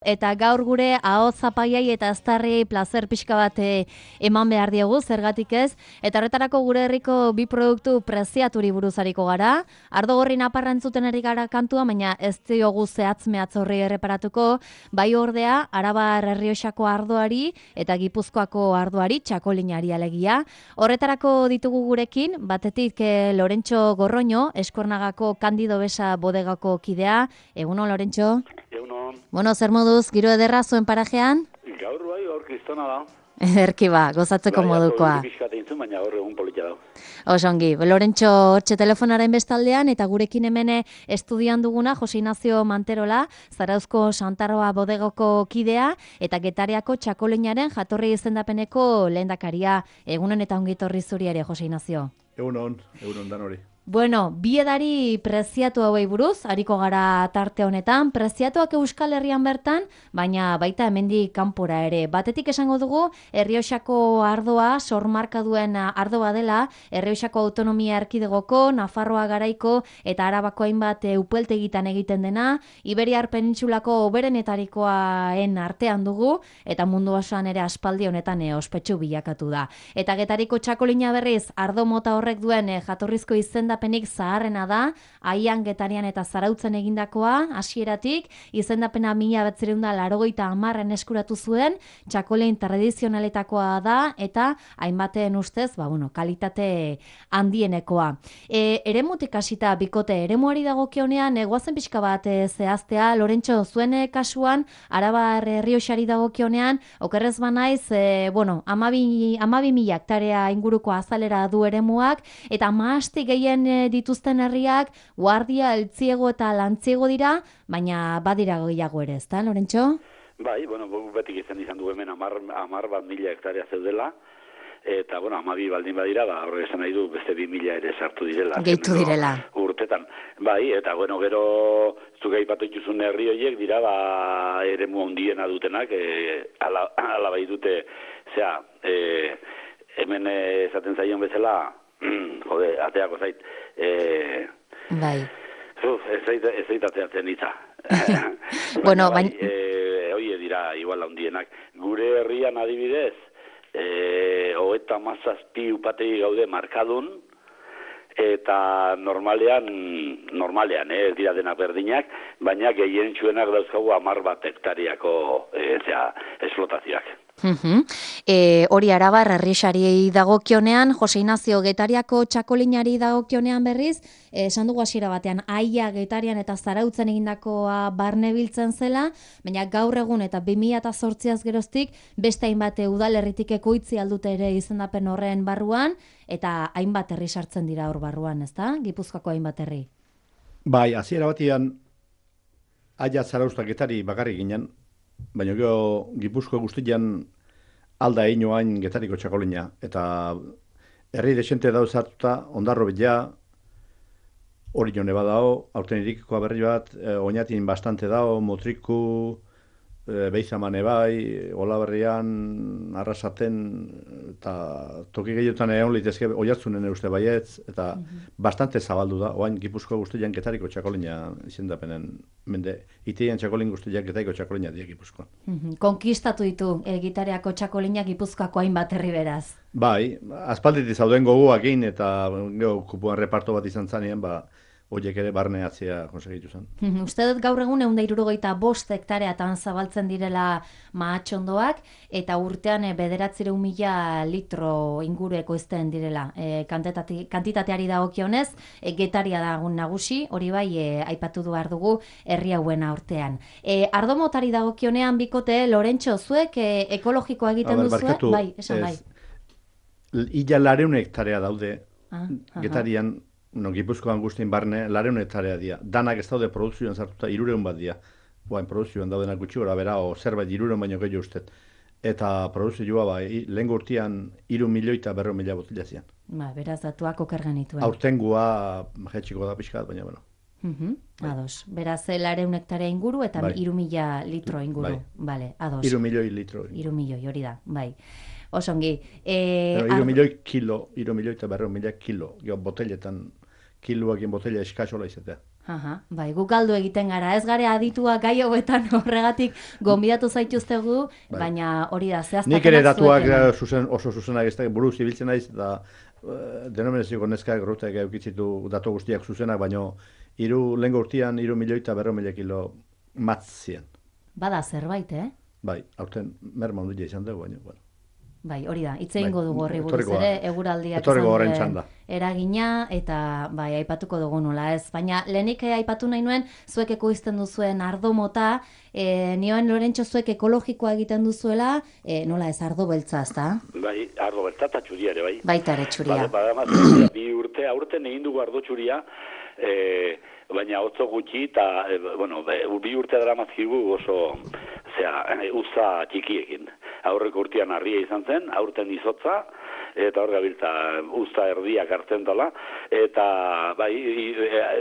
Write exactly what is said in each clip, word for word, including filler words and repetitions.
Eta gaur gure ahots zapaiai eta aztarriei plazer pixka bat eh, eman behar diegu, zergatik ez. Eta horretarako gure herriko bi produktu preziaturi buruz ariko gara. Ardo gorri naparra entzuten ari gara kantua, baina ez diogu zehatz mehatz horri erreparatuko. Bai ordea, Arabar Errioxako ardoari eta Gipuzkoako ardoari, txakolinari alegia. Horretarako ditugu gurekin, batetik eh, Lorentxo Gorroño, Eskuernagako Kandido Besa bodegako kidea. Egunon, Lorentxo? Bueno, zer moduz, giro ederra zuen parajean? Gaur bai, gaur kristona da. Erki ba, gozatzeko modukoa. Baina gaur egun polita da. Osongi, Lorentxo hortxe telefonaren bestaldean eta gurekin hemene estudian duguna Jose Ignacio Manterola, Zarauzko Santarroa bodegoko kidea eta Getariako txakolinaren jatorri izendapeneko lehendakaria. Egunon eta ongitorri zuri ere, Jose Ignacio. Egunon, egunon dan hori. Bueno, bi edari preziatu hauei buruz, ariko gara tarte honetan, preziatuak Euskal Herrian bertan, baina baita hemendik kanpora ere. Batetik esango dugu, Errioxako ardoa, sormarka duen ardoa dela, Errioxako autonomia erkidegoko, Nafarroa garaiko eta Arabako hainbat upeltegitan egiten dena, Iberiar penintsulako oberenetarikoaen artean dugu, eta mundu osoan ere aspaldi honetan e, ospetsu bilakatu da. Eta Getariko txakolina berriz, ardo mota horrek duen e, jatorrizko izenda izendapenik zaharrena da, Aian, Getarian eta Zarautzen egindakoa, hasieratik, izendapena mila bederatziehun eta laurogeita hamarren eskuratu zuen, txakolein tradizionaletakoa da, eta hainbaten ustez, ba, bueno, kalitate handienekoa. E, eremutik hasita bikote, eremuari dagokionean, egoazen pixka bat e, zehaztea, Lorentxo, zuen kasuan, Arabar Errioxari dagokionean, okerrez banaiz, e, bueno, amabi, amabi mila hektarea inguruko azalera du eremuak, eta maasti gehien dituzten herriak, Guardia, Eltziego eta Lantziego dira, baina badira gehiago ere, ezta, Lorentxo? Bai, bueno, betik izan izan du hemen amar, amar bat mila hektarea zeudela, eta, bueno, amabi baldin badira, ba, horre esan nahi du beste bi mila ere sartu direla. Gehitu direla. Urtetan. Bai, eta, bueno, gero, zuge aipatu dituzun herri horiek dira, ba, eremu handiena dutenak, e, ala, ala bai dute, zera, e, hemen esaten zaion bezala, jode, ateako zait. E, bai. Uf, ez zait, ez zait ateatzen itza. Bueno, baina... Bai, e, oie dira, igual handienak. Gure herrian adibidez, e, hoeta mazazpi upategi gaude markadun, eta normalean, normalean, eh, ez dira denak berdinak, baina gehien txuenak dauzkagu amar bat hektariako e, zera, esplotazioak. Uh-huh. E, hori Arabar Errioxari dagokionean, Jose Ignacio Getariako txakolinari dagokionean berriz, esan dugu hasiera batean, Aia, Getarian eta Zarautzen egindakoa barne biltzen zela, baina gaur egun eta bi mila zortziaz geroztik, beste hainbat udalerritik ekoitzi aldute ere izendapen horren barruan, eta hainbat herri sartzen dira hor barruan, ezta? Gipuzkoako hainbat herri. Bai, hasiera batean, Aia, Zarauzta, Getari bakarrik ginen, baina gero Gipuzko guztian alda einoain Getariko txakolina. Eta herri desente dauz hartuta, ondarro bila, hori jone badao, aurten irikikoa berri bat, eh, oinatin bastante dao, Motriku, eh, Beizamane bai, Olaberrian, Arrasaten, eta toki gehiotan egon litezke oiartzunen uste baietz, eta mm-hmm. bastante zabaldu da, oain Gipuzko guztian Getariko txakolina izendapenen mende, itean txakolin guztiak Getariko txakolina diak Gipuzkoan. Mm-hmm. Konkistatu ditu e, Gitariako txakolina Gipuzkoako hainbat herri beraz. Bai, aspalditik zauden gogoakin eta geho kupuan reparto bat izan zanean, ba, horiek ere barneatzea konsegitu zen. Uste dut gaur egun ehun eta hirurogeita bost hektareatan zabaltzen direla mahatxondoak, eta urtean e, bederatziehun mila litro inguru ekoizten direla. E, kantitateari dagokionez, e, Getaria dagun nagusi, hori bai e, aipatu du behar dugu herri hauen urtean. E, ardo motari dagokionean bikote, Lorentxo, zuek e, ekologikoa egiten duzue? Bai, esan bai. Ila lareun hektarea daude ah, Getarian, no, Gipuzkoan guztien barne, lareun hektarea dira. Danak ez daude produzioan sartuta, irureun bat dira. Boain, produzioan daudenak gutxi gora, bera, o zerbait irureun baino gehiago ustet. Eta produzioa, ba, lehen urtean iru milioi eta berro mila botila zian. Ba, beraz, datuak oker genituen. Aurtengua, jetxiko da pixkat, baina, bueno. Uh-huh. Ados, beraz, lareun hektarea inguru eta bai. iru mila litro inguru. Bai. Vale, ados. Iru milioi litro. Iru milioi, hori da, bai. Osongi. E, iru milioi kilo, iru milioi eta berro mila kilo. Gio, boteletan, kiloak botella eskasola izatea. Aha, bai, guk galdu egiten gara, ez gare aditua gai hauetan horregatik gonbidatu zaituztegu, bai. Baina hori da, zehaztapenak nik ere datuak zuzen, oso zuzenak ez da, buruz ibiltzen naiz, da uh, denominazio neskak rutek eukitzitu datu guztiak zuzenak, baina hiru lengo urtean, hiru milioita berro mila kilo matzien. Bada zerbait, eh? Bai, aurten merma ondila izan dugu, baina, bueno. Bai, hori da, hitz egingo dugu horri buruz Etorriko ere, da. eguraldiak Etorriko izan horren duen txanda. eragina, eta bai, aipatuko dugu nola ez. Baina lehenik eh, aipatu nahi nuen, zuek ekoizten duzuen ardo mota, eh, nioen Lorentxo zuek ekologikoa egiten duzuela, eh, nola ez ardo beltza, ezta? Bai, ardo beltza eta txuria ere, bai. Baita ere txuria. Bada, bada, bi urte, aurten egin dugu ardo txuria, eh, baina otzo gutxi, eta, e, bueno, be, bi urte daramazkigu oso, zera, e, uza txikiekin. Aurreko urtean harria izan zen, aurten izotza, eta hor gabiltza uza erdiak hartzen dela, eta bai,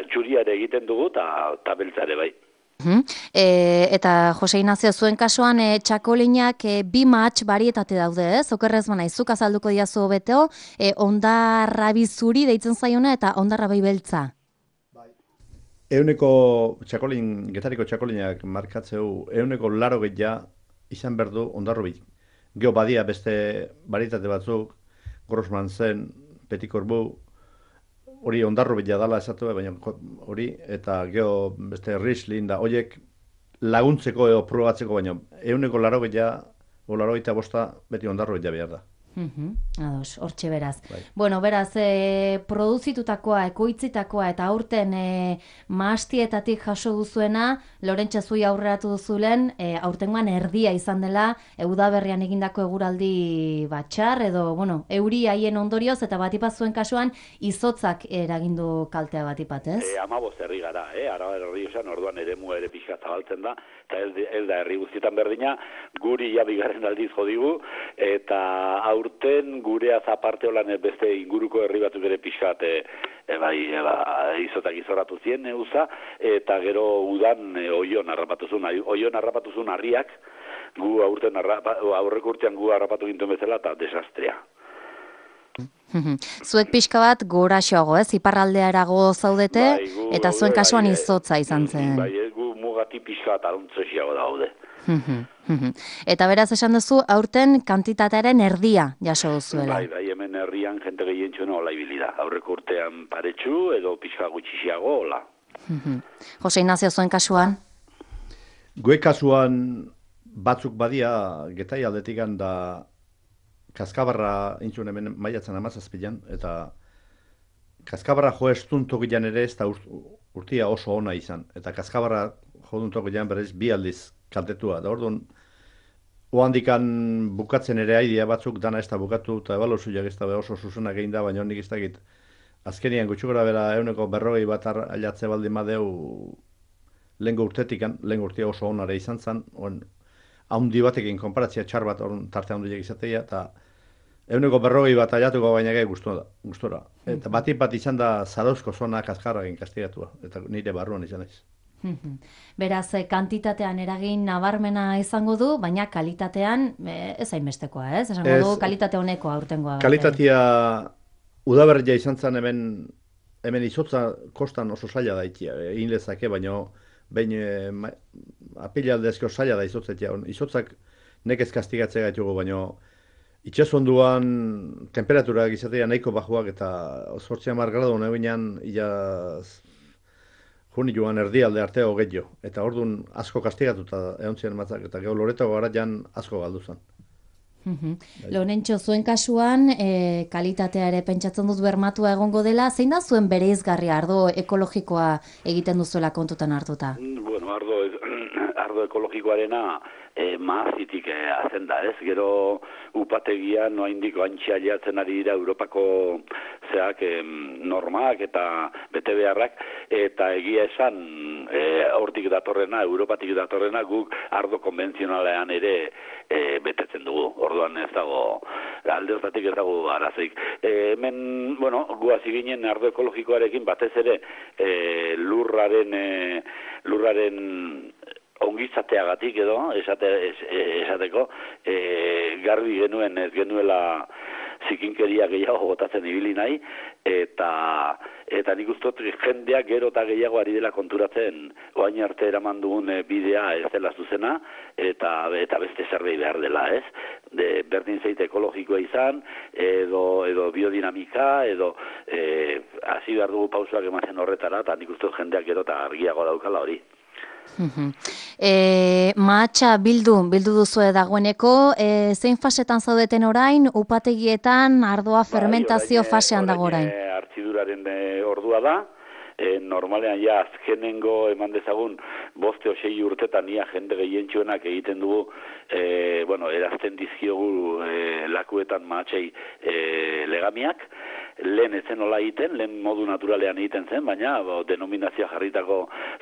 txuria ere egiten dugu, eta beltza ere, bai. Uh-huh. E, eta Jose Inazio, zuen kasuan e, txakolinak e, bi matx barietate daude, ez? Okerrez bana, izuk azalduko diazu hobeteo, e, ondarra bizuri deitzen zaiona eta ondarra bai beltza. Euneko txakolin, getariko txakolinak markatzeu, euneko laro gehiagia izan berdu ondarro bi. Geo badia beste baritate batzuk, Grossman zen, Petikorbu, hori ondarro bila dala esatu, baina hori, eta geo beste Riesling da, horiek laguntzeko edo probatzeko, baina euneko laro gehiagia, o laro gehiagia bosta, beti ondarro bila behar da. Uh-huh. Ados, hortxe beraz. Bai. Bueno, beraz, e, produzitutakoa, ekoitzitakoa eta aurten e, maastietatik jaso duzuena, Lorentxo zui aurreratu duzulen, e, aurtengoan erdia izan dela, udaberrian egindako eguraldi batxar, edo, bueno, euri haien ondorioz, eta batipat zuen kasuan, izotzak eragindu kaltea batipat, ez? E, amaboz herri gara, eh? Araba herri esan, orduan ere mua ere pixka zabaltzen da, eta ez, ez da herri guztietan berdina, guri ja bigarren aldiz jodigu, eta aurten gureaz aparte holan beste inguruko herri batzuk ere pixkat e, e, bai, e, ba, izotak izorratu zien e, uza, eta gero udan e, oion harrapatuzun, oion harrapatuzun harriak, gu aurten harrapa, aurreko urtean gu harrapatu gintzen bezala eta desastrea. Zuek pixka bat goraxoago, ez? Iparraldearago zaudete, bai, gu, eta zuen kasuan bai, izotza izan zen. Bai, gu mugati pixka bat aruntzexiago daude. Eta beraz esan duzu, aurten kantitatearen erdia jaso duzuela. Bai, bai, hemen herrian jente gehien txuena hola ibili da. Aurreko urtean paretsu edo pixka gutxixiago hola. Jose Inazio, zuen kasuan? Gue kasuan batzuk badia getai aldetikan da Kaskabarra intzun hemen maiatzen amazazpilan, eta Kaskabarra jo estun tokilan ere ez da urtia oso ona izan. Eta Kaskabarra jodun tokilan berez bi aldiz kaltetua. Da orduan, ohandikan bukatzen ere aidia batzuk dana ez da bukatu, eta ebaluzuak ez da oso zuzenak egin da, baina honik ez dakit. Azkenian gutxukora bera euneko berrogei bat ailatze baldin madeu lehengo urtetikan, lehengo urtia oso onare izan zen, haundi batekin konparatzia txar bat orun tarte handiak izatea, eta euneko berrogei bat aiatuko baina gai gustora. Eta batik bat izan da Zarauzko zona kaskarragin kastigatua, eta nire barruan izan ez. Beraz, kantitatean eragin nabarmena izango du, baina kalitatean ez hainbestekoa, ez? Esango du kalitate honekoa aurtengoa. Kalitatea udaberria izan zen hemen, hemen izotza kostan oso zaila da ikia, egin lezake, baina behin e, apilaldezko zaila da izotzetia. Izotzak nekez kastigatzea gaitugu, baina itxasonduan temperaturak izatea nahiko bajuak eta zortzi hamar gradu nebinean ia juni joan erdialde arteo gehiago. Eta orduan asko kastigatuta egon ziren matzak, eta gero Loreto garaian asko galdu zen. Lorentxo, zuen kasuan, e, kalitatea ere pentsatzen dut bermatua egongo dela, zein da zuen bereizgarria ardo ekologikoa egiten duzuela kontutan hartuta? Bueno, ardo, ardo ekologikoarena e, maazitik e, hazen da, ez? Gero upategian noa indiko antxia jatzen ari dira Europako zeak e, normak eta bete beharrak, eta egia esan e, hortik datorrena, Europatik datorrena, guk ardo konbentzionalean ere e, betetzen dugu. Orduan ez dago, alde hortatik ez dago arazoik. E, hemen, bueno, guazi ginen ardo ekologikoarekin batez ere e, lurraren, e, lurraren ongizateagatik edo, esate, es, esateko, e, garbi genuen ez genuela zikinkeria gehiago botatzen ibili nahi, eta eta nik uste dut jendeak gero eta gehiago ari dela konturatzen oain arte eraman dugun bidea ez dela zuzena, eta eta beste zerbait behar dela, ez? De, berdin zeite ekologikoa izan, edo, edo biodinamika, edo e, hasi behar dugu pausoak ematen horretara, eta nik uste dut jendeak gero eta argiago daukala hori. E, mahatsa bildu, bildu duzue dagoeneko, e, zein fasetan zaudeten orain, upategietan, ardoa fermentazio bai, fasean dago orain? Orain hartziduraren e, ordua da, e, normalean ja azkenengo eman dezagun boste o sei urtetan ia jende gehientsuenak egiten dugu, e, bueno, erazten dizkiogu e, lakuetan mahatsei e, legamiak, lehen ezen hola egiten, lehen modu naturalean egiten zen, baina bo, denominazioa jarritako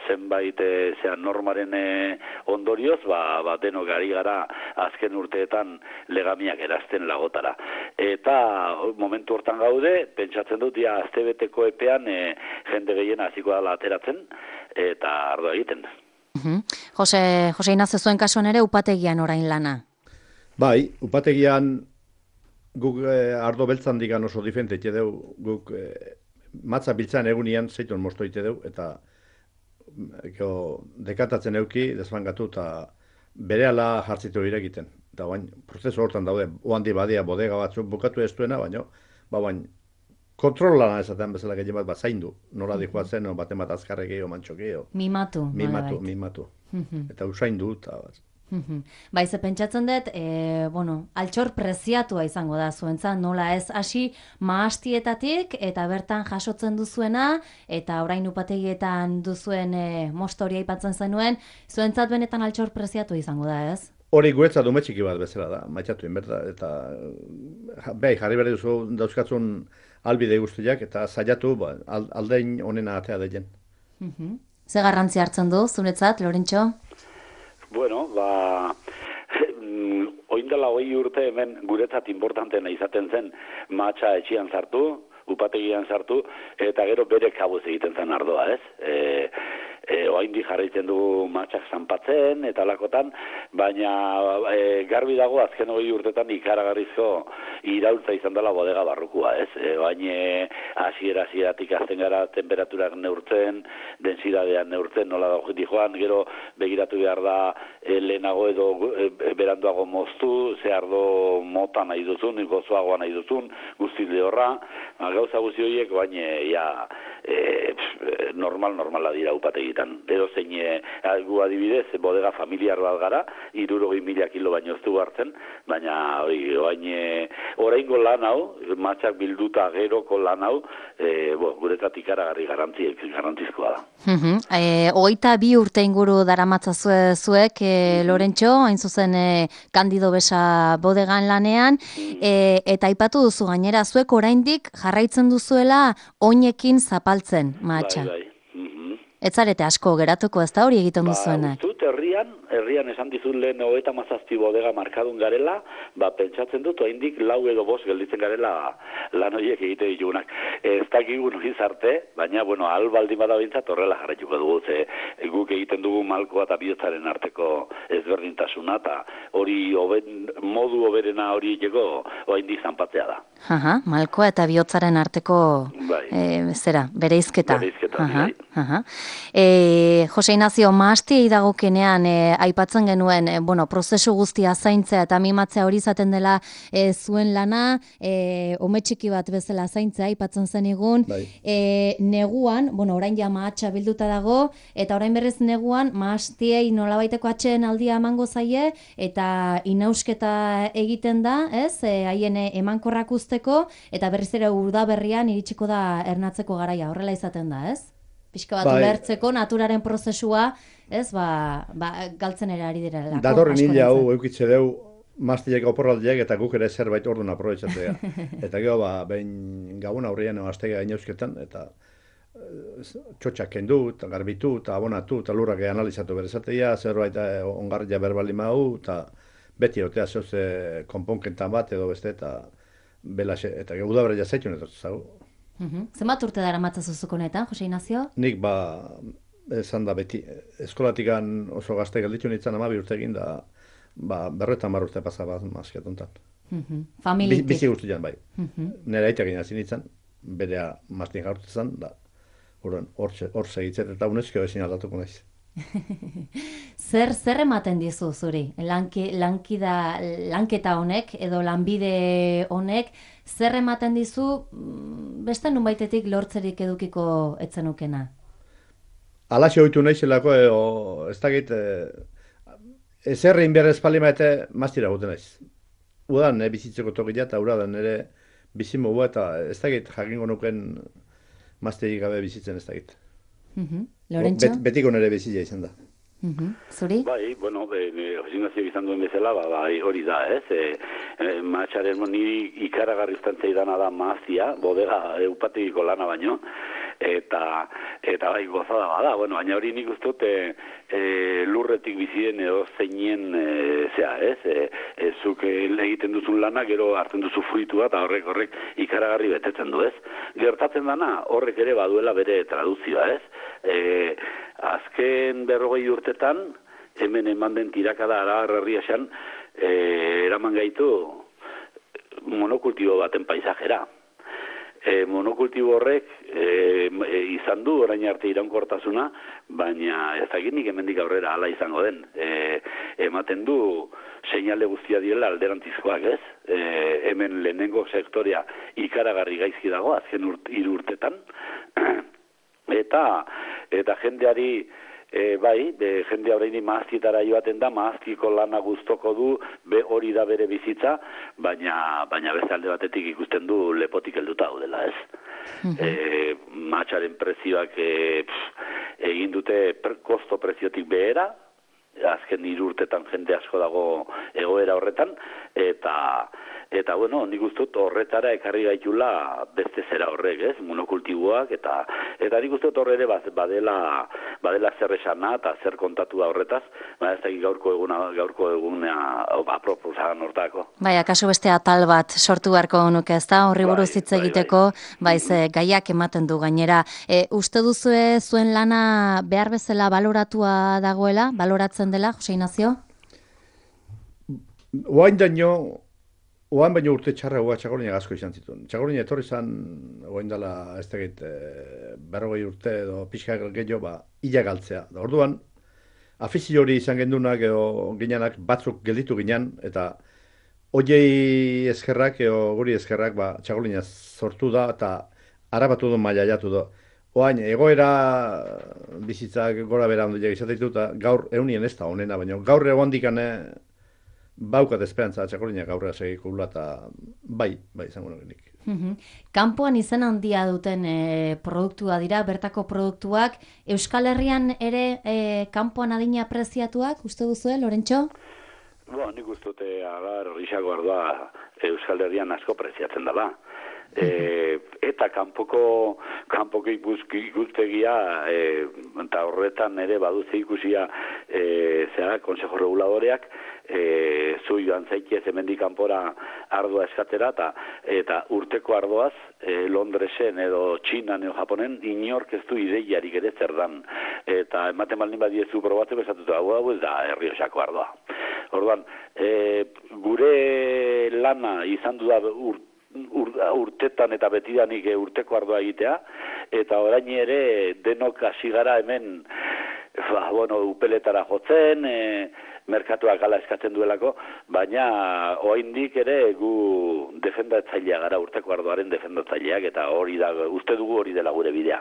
zenbait e, zean normaren e, ondorioz, ba, ba denok ari gara azken urteetan legamiak erazten lagotara. Eta momentu hortan gaude, pentsatzen dut, ja, aztebeteko epean e, jende gehiena hasiko dela ateratzen, eta ardo egiten. Uh-huh. Jose, Jose Ignacio, zuen kasuan ere upategian orain lana? Bai, upategian guk eh, ardo beltzan digan oso diferente ite deu, guk eh, matza biltzan egunian zeiton mosto ite deu, eta eko, dekatatzen euki, desfangatu, eta berehala jartzitu irekiten. Eta bain, prozesu hortan daude, oandi badia bodega batzuk bukatu ez duena, baina, ba bain, kontrolana esaten bezala gehien bat, bat zaindu, nola dikoa zen, no, baten bat azkarre gehiago, mantxo gehiago. Mimatu. Mimatu, mimatu. Eta usaindu, eta bat. Bai, ze pentsatzen dut, e, bueno, altxor preziatua izango da zuentzat, nola ez hasi mahastietatik eta bertan jasotzen duzuena, eta orain upategietan duzuen e, mostoria aipatzen zenuen, zuentzat benetan altxor preziatua izango da, ez? Hori guretzat dume txiki bat bezala da, maitxatu inberta, eta bai, jarri behar duzu dauzkatzun albide guztiak, eta saiatu ba, aldein onena atea degen. Ze garrantzi hartzen du, zuretzat, Lorentxo? Bueno, ba, oindala hoi urte hemen guretzat importantena izaten zen mahatsa etxian sartu, upategian sartu, eta gero bere kabuz egiten zen ardoa, ez? E, e, oaindi jarraitzen dugu mahatsak zanpatzen, eta lakotan, baina e, garbi dago azken hogei urtetan ikaragarrizko iraultza izan dela bodega barrukua, ez? E, baina hasiera hasieratik azten gara temperaturak neurtzen, densidadean neurtzen, nola da jiti joan, gero begiratu behar da e, lehenago edo e, beranduago moztu, ze ardo mota nahi duzun, gozoagoa nahi duzun, guzti lehorra, gauza guzti horiek, baina ja, e, normal, normala dira upategitan. Edo zein, e, gu adibidez, bodega familiar bat gara, hirurogei mila kilo baino ez du hartzen, baina hori, oain, oraingo lan hau, matxak bilduta geroko lan hau, e, bo, guretzat ikaragarri garrantzizkoa da. Uh-huh. E, Oita bi urte inguru daramatza zue, zuek, e, Lorentxo, hain zuzen e, Kandido Besa bodegan lanean, e, eta aipatu duzu gainera, zuek oraindik jarraitzen duzuela oinekin zapaltzen matxa. Bai, bai. Ez zarete asko geratuko, ez da hori egiten duzuenak? Ba, ustut, herrian, herrian esan dizun lehen hogeita hamazazpi bodega markadun garela, ba, pentsatzen dut, oraindik lau edo bost gelditzen garela lan horiek egite ditugunak. Ez dakigu noiz arte, baina, bueno, ahal baldin bada behintzat horrela jarraituko dugu, ze guk egiten dugu malkoa eta bihotzaren arteko ezberdintasuna, eta hori oben, modu oberena hori egeko oraindik zanpatzea da. Aha, malkoa eta bihotzaren arteko bai. e, zera, bereizketa. Bereizketa, aha, bai. aha. E, Jose Ignacio, mahastiei dagokenean e, aipatzen genuen, e, bueno, prozesu guztia zaintzea eta mimatzea hori izaten dela e, zuen lana, e, ome txiki bat bezala zaintzea aipatzen zenigun, Bai. e, neguan, bueno, orain ja mahatsa bilduta dago, eta orain berrez neguan mahastiei nolabaiteko atxeen aldia emango zaie, eta inausketa egiten da, ez, e, haien emankorrak usteko, eta berriz ere udaberrian iritsiko da ernatzeko garaia, horrela izaten da, ez? Pixka bat Bai. ulertzeko naturaren prozesua, ez, ba, ba galtzen ere ari direlako. Datorren hila hau eukitze deu, maztiek oporraldiak eta guk ere zerbait orduan aprobetxatzea. Eta gero, ba, behin gabon aurrean aztega inauzketan, eta txotxak kendu, eta garbitu, eta abonatu, eta lurrak analizatu berezatea, zerbait ongarria berbali mau, eta beti otea zeuze konponkentan bat edo beste, eta belaxe, eta gero udabera jazaitun edo zago. Uhum. Zenbat urte dara matzazuzuko honetan, Jose Ignacio? Nik ba, esan da beti, eskolatikan oso gazte gelditu nintzen amabi urte egin da, ba, berretan mar urte pasa bat mazketontan. Familitik. Bizi guztian, bai. Nera aitak egin hasi nintzen, berea mastin jaurtzen, da, hor segitzen, eta UNESCO ezin aldatuko naiz. Zer, zer ematen dizu zuri? Lanki, lankida, lanketa honek, edo lanbide honek, zer ematen dizu beste nunbaitetik lortzerik edukiko etzenukena? Alaxe oitu naizelako, e, ez dakit, e, ezerrein behar espaldi maete, maztira guten naiz. Udan, e, bizitzeko tokia eta uradan ere bizimogua eta ez dakit jakingo nuken mazterik gabe bizitzen ez dakit. Uh-huh. Lorentxo? Bet, betiko nere bizitza izan da. Uh-huh. Zuri? Bai, bueno, Jose izan duen bezala, ba, bai, hori da, ez? E, e, Matxaren niri ikaragarri ustantzei dana da mazia, bodega eupategiko lana baino, eta eta bai gozada bada, bueno, baina hori nik uste dut e, e, lurretik bizien edo zeinen e, zea, ez? E, e, zuk egiten duzun lana, gero hartzen duzu fruitua eta horrek horrek ikaragarri betetzen du, ez? Gertatzen dana, horrek ere baduela bere traduzioa, ez? E, azken berrogei urtetan, hemen eman den tirakada Arabar herriaxan, e, eraman gaitu monokultibo baten paisajera. E, monokultibo horrek e, e, izan du orain arte iraunkortasuna, baina ez dakit nik hemendik aurrera hala izango den. E, ematen du seinale guztia diela alderantzizkoak, ez? E, hemen lehenengo sektorea ikaragarri gaizki dago azken urt, hiru urtetan. eta eta jendeari E, bai, be, jende horreini maaztitara joaten da, maaztiko lana guztoko du, be hori da bere bizitza, baina, baina beste alde batetik ikusten du lepotik helduta daudela, ez? Mm-hmm. E, matxaren prezioak e, pff, egin dute per, kosto preziotik behera, azken hiru urtetan jende asko dago egoera horretan, eta eta bueno, nik uste dut horretara ekarri gaitula beste zera horrek, ez? Monokultiboak eta eta nik uste dut horre ere badela badela zer esana eta zer kontatu da horretaz, baina ez dakit gaurko eguna gaurko egunea aproposan hortako. Bai, akaso beste atal bat sortu beharko nuke, ezta? Horri buruz hitz egiteko, bai, ze gaiak ematen du gainera. E, uste duzue zuen lana behar bezala baloratua dagoela, baloratzen dela, Jose Ignacio? Oain daño, oain baino urte txarra oa Txakolina asko izan zituen. Txakolina etorri zan, oain dela, ez tegit, e, berrogei urte edo pixka gehiago, ba, ila galtzea. Da, orduan, afizio hori izan gendunak edo ginenak batzuk gelditu ginen, eta oiei eskerrak edo guri eskerrak, ba, Txakolina sortu da, eta harabatu du maila jatu da. Oain, egoera bizitzak gora bera ondileak izatea eta gaur eunien ez da honena, baina gaur egon dikane baukat esperantza Txakolina gaurra segikula eta bai, bai izango nukenik. Kanpoan izen handia duten e, produktua dira, bertako produktuak, Euskal Herrian ere e, kanpoan adina preziatuak, uste duzue, Lorentxo? Bo, nik uste dute agar horrixako ardua Euskal Herrian asko preziatzen dela. E, eta kanpoko kanpoko ikustegia e, eta horretan ere baduze ikusia e, zera, Consejo Reguladoreak e, zu joan zaitez hemendik kanpora ardua eskatera eta, eta urteko ardoaz e, Londresen edo Txinan edo Japonen inork ez du ideiarik ere zer dan eta ematen baldin badiezu probatzeko esatutu hau hau ez da Errioxako ardoa. Orduan, e, gure lana izan du da urt Ur, urtetan eta betidanik urteko ardoa egitea, eta orain ere denok hasi gara hemen ba, bueno, upeletara jotzen, e, merkatuak ala eskatzen duelako, baina oraindik ere gu defendatzailea gara, urteko ardoaren defendatzaileak, eta hori da, uste dugu hori dela gure bidea.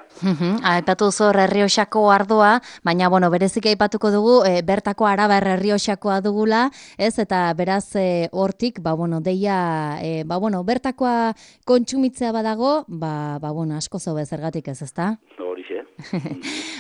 Aipatu zor Errioxako ardoa, baina bueno, berezik aipatuko dugu, e, bertako Arabar Errioxakoa dugula, ez, eta beraz e, hortik, ba bueno, deia, e, ba bueno, bertakoa kontsumitzea badago, ba, ba bueno, asko zobe zergatik ez, ezta? Horixe.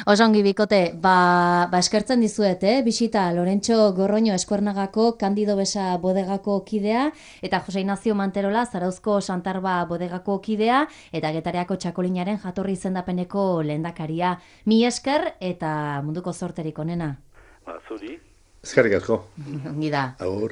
Osongi bikote, ba, ba eskertzen dizuet, eh? Bisita Lorentxo Gorroño Eskuernagako Kandido Besa bodegako kidea, eta Jose Ignacio Manterola Zarauzko Santarba bodegako kidea, eta Getareako Txakolinaren jatorri izendapeneko lehendakaria. Mi esker eta munduko zorterik onena. Ba, zuri. Eskerrik asko. Ongi da. Agur.